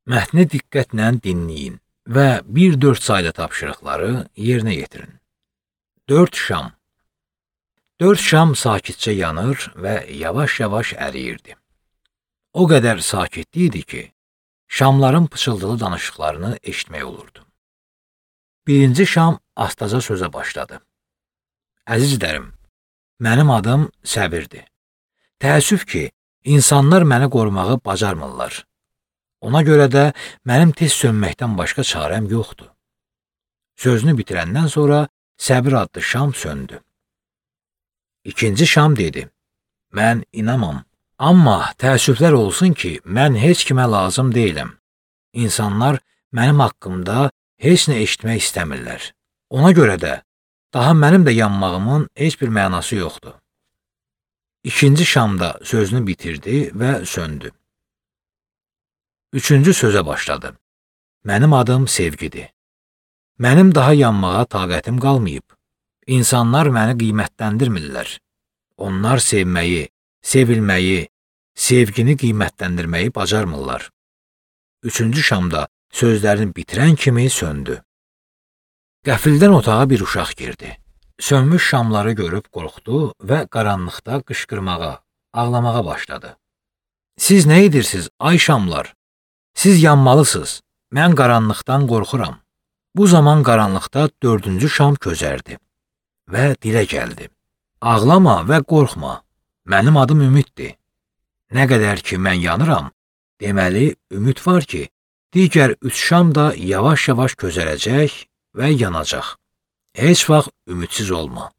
Mətni diqqətlə dinləyin və 1-4 saylı tapşırıqları yerinə yetirin. 4 şam. 4 şam sakitcə yanır və yavaş-yavaş əriyirdi. O qədər sakitlik idi ki, şamların pıçıldılı danışıqlarını eşitmək olurdu. Birinci şam astaca sözə başladı. Əzizlərim, mənim adım Səbirdir. Təəssüf ki, insanlar məni qorumağı bacarmırlar. Ona görə də mənim tez sönməkdən başqa çarəm yoxdur. Sözünü bitirəndən sonra Səbir adlı şam söndü. İkinci şam dedi, mən inamam. Amma təəssüflər olsun ki, mən heç kimə lazım deyiləm. İnsanlar mənim haqqımda heç nə eşitmək istəmirlər. Ona görə də daha mənim də yanmağımın heç bir mənası yoxdur. İkinci şamda sözünü bitirdi və söndü. Üçüncü sözə başladı. Mənim adım Sevgidir. Mənim daha yanmağa taqətim qalmayıb. İnsanlar məni qiymətləndirmirlər. Onlar sevməyi, sevilməyi, sevgini qiymətləndirməyi bacarmırlar. Üçüncü şamda sözlərini bitirən kimi söndü. Qəfildən otağa bir uşaq girdi. Sönmüş şamları görüb qorxdu və qaranlıqda qışqırmağa, ağlamağa başladı. Siz nə edirsiniz, ay şamlar? Siz yanmalısınız. Mən qaranlıqdan qorxuram. Bu zaman qaranlıqda 4-cü şam közərdi və dilə gəldi. Ağlama və qorxma. Mənim adım Ümiddir. Nə qədər ki mən yanıram, deməli ümid var ki, digər 3 şam da yavaş-yavaş közərəcək və yanacaq. Heç vaxt ümidsiz olma.